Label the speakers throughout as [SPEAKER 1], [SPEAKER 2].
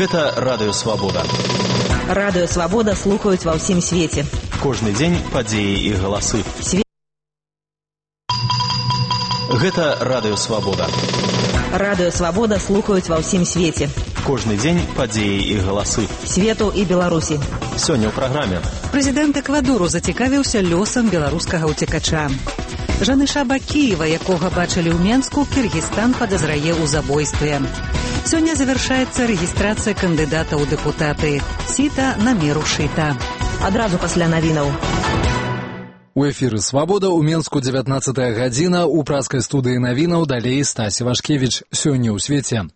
[SPEAKER 1] Гэта Радыё Свабода.
[SPEAKER 2] Радыё Свабода слухаюць ва ўсім свеце.
[SPEAKER 1] Кожны дзень падзеі і галасы. Гэта Радыё Свабода.
[SPEAKER 2] Радыё Свабода слухаюць ва ўсім свеце.
[SPEAKER 1] Кожны дзень падзеі і галасы.
[SPEAKER 2] Свету і Беларусі.
[SPEAKER 1] Сёння ў праграме.
[SPEAKER 3] Прэзідэнт Эквадору зацікавіўся лёсам беларускага ўцекача. Жаныша Бакіева, якога бачылі ў Менску, Кіргізстан падазрае ў забойстве. Сёння завяршаецца рэгістрацыя кандыдата ў дэпутаты. Сіта на меру шыта.
[SPEAKER 2] Адразу пасля навінаў.
[SPEAKER 4] У эфіры «Свабода» ў Менску 19 гадзіна, у праскай студыі навінаў далей Стасі Вашкевіч. Сёння ў свеце.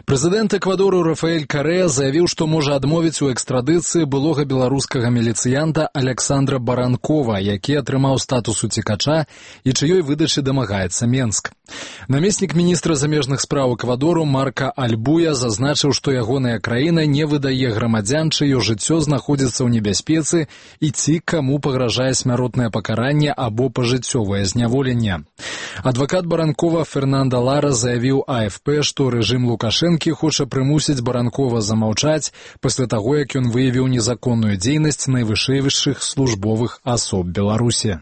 [SPEAKER 4] Прэзідэнт Эквадору Рафаэль Карэа заявіў, што можа адмовіць у экстрадыцыі былога беларускага міліцыянта Александра Баранкова, які атрымаў статус уцекача і чыёй выдачы дамагаецца Менск. Намеснік міністра замежных спраў Эквадору Марка Альбуя зазначыў, што ягоная краіна не выдае грамадзян, чыё жыццё знаходзіцца ў небяспецы і ці каму пагражае смяротнае пакаранне або пажыццёвае зняволенне. Адвакат Баранкова Фернандо Лара заявіў АФП, што рэжым Лукашэнкі хоча прымусіць Баранкова замаўчаць пасля таго, як ён выявіў незаконную дзейнасць найвышэйшых службовых асоб Беларусі.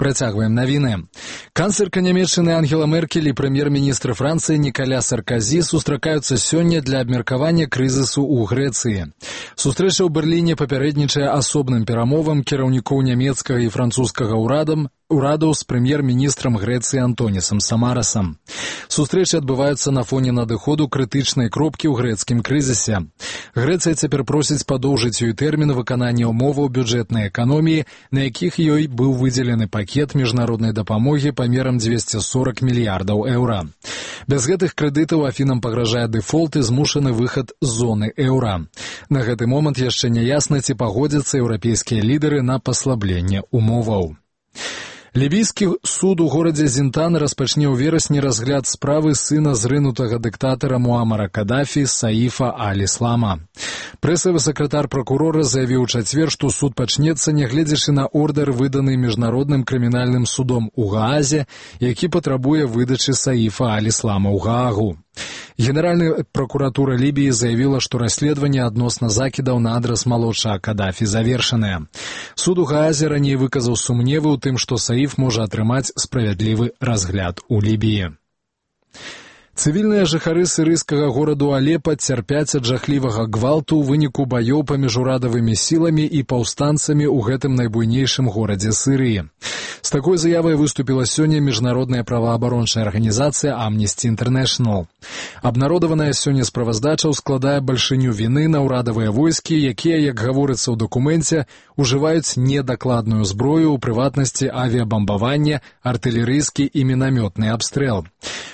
[SPEAKER 4] Працягваем навіны. Канцлерка Нямецчыны Ангела Меркель і прэм'ер-міністр Францыі Нікаля Сарказі сустракаюцца сёння для абмеркавання крызісу ў Грэцыі. Сустрэча ў Берліне папярэднічае асобным перамовам кіраўнікоў нямецкага і французскага урадаў з прэм'ер-міністрам Грэцыі Антонісам Самарасам. Сустрэчы адбываюцца на фоне надыходу крытычнай кропкі ў грэцкім крызісе. Грэцыя цяпер просіць падоўжыць ёй тэрмін выканання ўмоваў бюджэтнай эканоміі, на якіх ёй быў выдзелены пакет міжнароднай дапамогі памерам 240 мільярдаў еўра. Без гэтых крэдытаў Афінам пагражае дэфолт і змушаны выхад з зоны еўра. На гэты момант яшчэ не ясна, ці пагодзяцца еўрапейскія лідары на паслабленне ўмоваў. Лібійскі суд у горадзе Зінтан распачне ў верасні разгляд справы сына зрынутага дыктатара Муамара Кадафі Саіфа Аль-Іслама. Прэсавы сакратар пракурора заявіў у чацвер, што суд пачнецца, нягледзячы на ордэр, выданы міжнародным крымінальным судом у Гаазе, які патрабуе выдачы Саіфа Аль-Іслама ў Гаагу. Генеральная прокуратура Лібіі заявіла, што расследаванне адносна закідаў на адрас малодшага Кадафі завершанае. Суд у Гаазе раней выказаў сумневы ў тым, што Саіф можа атрымаць справядлівы разгляд у Лібіі. Цывільныя жыхары сірыйскага гораду Алепа цярпяць ад жахлівага гвалту ў выніку баёў паміж урадавымі сіламі і паўстанцамі ў гэтым найбуйнейшым горадзе Сірыі. З такой заявай выступіла сёння міжнародная праваабарончая арганізацыя Amnesty International. Абнародаваная сёння справаздача складае бальшыню віны на ўрадавыя войскі, якія, як гаворыцца ў дакуменце, ужываюць недакладную зброю, у прыватнасці авіябамбаванне, артылерыйскі і мінамётны абстрэл.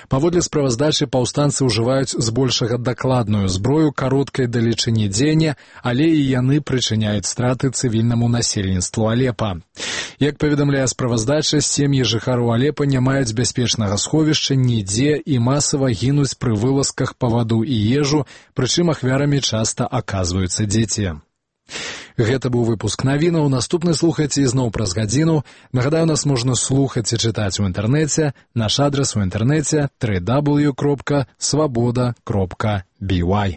[SPEAKER 4] Паводле справаздачы паўстанцы ўжываюць збольшага дакладную зброю кароткай далечыні дзеяння, але і яны прычыняюць страты цывільнаму насельніцтву Алепа. Як паведамляе справаздача, сем'і жыхароў Алепа не маюць бяспечнага сховішча нідзе і масава гінуць пры вылазках па ваду і ежу, прычым ахвярамі часта аказваюцца дзеці. Гэта быў выпуск навінаў. Наступны слухайце ізноў праз гадзіну. Нагадаю, нас можна слухаць і чытаць у інтэрнэце. Наш адрас у інтэрнэце www.swaboda.by.